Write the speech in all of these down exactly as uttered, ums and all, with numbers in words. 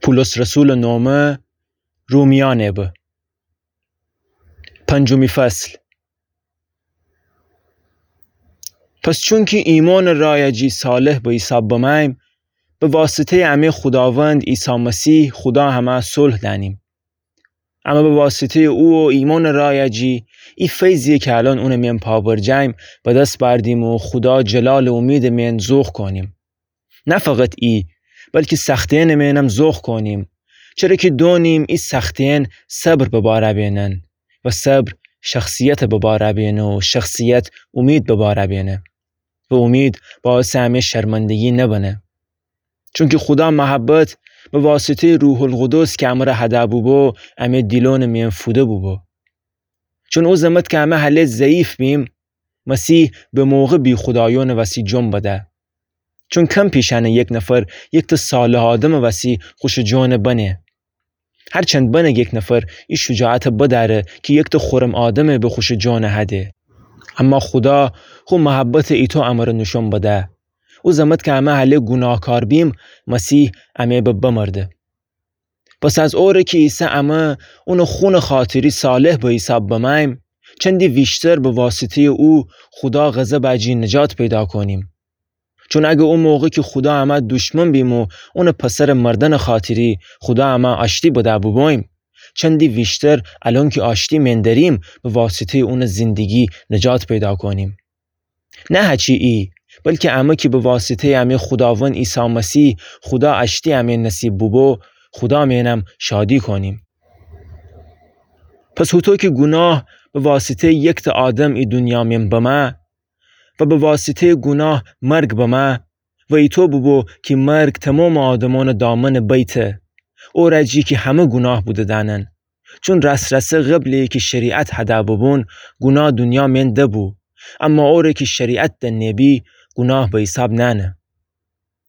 پولس رسولٚ نومه، رومیأنٚ به. پنجمی فصل. پس چونکی ایمأنٚ رأیٚ جی صالح به حیساب بمأییم، به واسطه‌یٚ امه خوداوند عیسی مسیح خودا همه صلح دأنیم. اما به واسطه‌یٚ او و ایمأنٚ رأیٚ جی، ای فیضیی کی الأن اونٚ مئن پا برجه‌ییم، به دس بأردیم و خودا جلالٚ اومیدٚ مئن ذوق کونیم. نه فقط ای، بلکی سختی‌یأنٚ مئنم ذوق کونیم، چره کی دونیم ای سختی‌یأن صبر به بار بینن و صبر شخصیت به بار بینه و شخصیت اومید به بار بینه و اومید باعثٚ امه شرمندگی نبنه. چونکی خودا محبت به واسطه‌یٚ روح‌القدس کی امره هده بوبو، امه دیلأنٚ مئن فوده بوبو. چون او زمت کی امه هله ضعیف بیم، مسیح به موقع بیخودایأنٚ وسی جون بده. چون کم پیش انه یک نفر یکتأ صالح آدمٚ وسی خوشٚ جون بنه. هرچند بنه یک نفر ای شجاعت بدأره کی یکتأ خورم آدم به خوشٚ جون هده. اما خودا خو محبت ایتو امره نوشون بده. او زمت کی امه هله گوناهکار بیم، مسیح امه به بمرده. پس از اوره کی عیسی امه اونٚ خونٚ خاطری صالح به حیساب بمأییم، چندی ویشتر به واسطه‌یٚ او خودا غضبٚ جی نجات پیدا کونیم. چون اگر او موقع کی خودا امه دوشمن بیم و اونٚ پسرٚ مردنٚ خاطری خودا امه آشتی بده بوبوییم، چندی ویشتر الأن کی آشتی مئن دریم به واسطه‌یٚ اونٚ زندگی نجات پیدا کونیم. نه هچی ای، بلکی امه کی به واسطه‌یٚ امه خوداوند عیسی مسیح خودا آشتی امه نصیب بوبو، خودا مئنم شادی کونیم. پس هوطو کی گوناه به واسطه‌یٚ یکتأ آدم ای دونیا مئن بمه و به واسطه‌یٚ گوناه مرگ بمه و ایتو بوبو کی مرگ تومامٚ آدمأنٚ دامنٚ بیته، اوره جی کی همه گوناه بوده دأنن. چون راس‌راسه قبلٚ کی شریعت هده بوبون، گوناه دونیا مئن دبو، اما اوره کی شریعت دنه بی، گوناه به حیساب نأنه.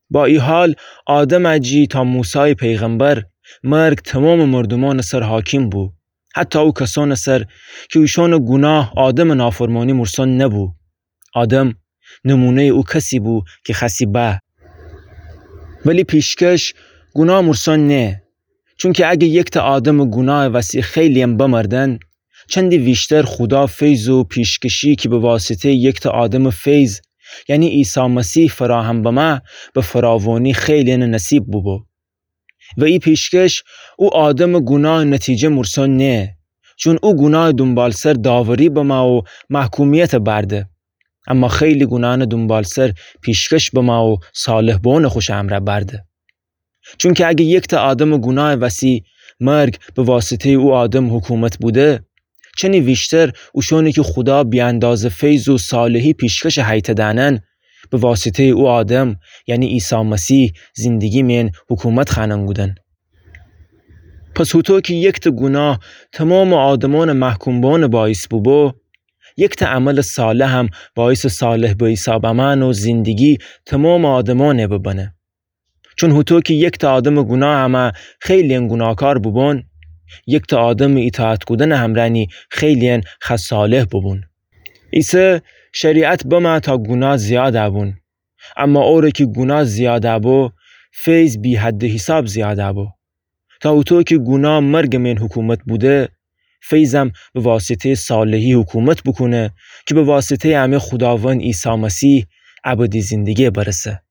با ای حال، آدمٚ جی تا موسای پیغمبر، مرگ تومامٚ مردومأنٚ سر حاکم بو، حتی او کسأنٚ سر کی اوشأنٚ گوناه آدمٚ نافرمانی مورسون نبو. آدم نمونه‌یٚ او کسی بو کی خوأستی به. ولی پیشکش گوناه مورسون نه. چونکی اگر یکتأ آدمٚ گوناهٚ وسی خیلی‌یم بمردن، چندی ویشتر خودا فیض و پیشکشی کی به واسطه‌یٚ یکتأ آدمٚ فیض، یعنی عیسی مسیح فراهم بمه، به فراوانی خیلی‌یأنٚ نصیب بوبو. و ای پیشکش او آدمٚ گوناهٚ نتیجه مورسون نه، چون او گوناهٚ دونبالسر داوری بمه و محکومیت بأرده. اما خیلی گوناهأنٚ دونبالسر پیشکش بمه و صالح بوئونٚ خوشٚ امرأ بأرده. چونکی اگر یکتأ آدمٚ گوناهٚ وسی مرگ به واسطه‌یٚ او آدم حکومت بوده، چنی ویشتر اوشأنی کی خودا بی‌اندازه فیض و صالحی پیشکشٚ هیته دأنن، به واسطه‌یٚ او آدم، یعنی عیسی مسیح، زندگی مئن حکومت خوأنن کودن. پس هوطو کی یکتأ گوناه تومامٚ آدمأنٚ محکوم بوئونٚ باعث بوبو، یکتأ عملٚ صالحم باعثٚ صالح به حیساب آمئن و زندگی تومامٚ آدمأنٚ ببنه. چون هوطو کی یکتأ آدمٚ گوناه امه خیلی‌یأن گوناهکار بوبون، یکتأ آدمٚ ایطاعت کودنٚ امرأ نی خیلی‌یأن خوأ صالح بوبون. ایسه شریعت بمه تا گوناه زیادَ بون. اما اوره کی گوناه زیادَ بو، فیض بی‌حدٚ حیساب زیادَ بو. تا هوطو کی گوناه مرگٚ مئن حکومت بوده، فیضم به واسطه‌یٚ صالحی حکومت بوکونه کی به واسطه‌یٚ امه خوداوند عیسی مسیح ابدی زندگی برسه.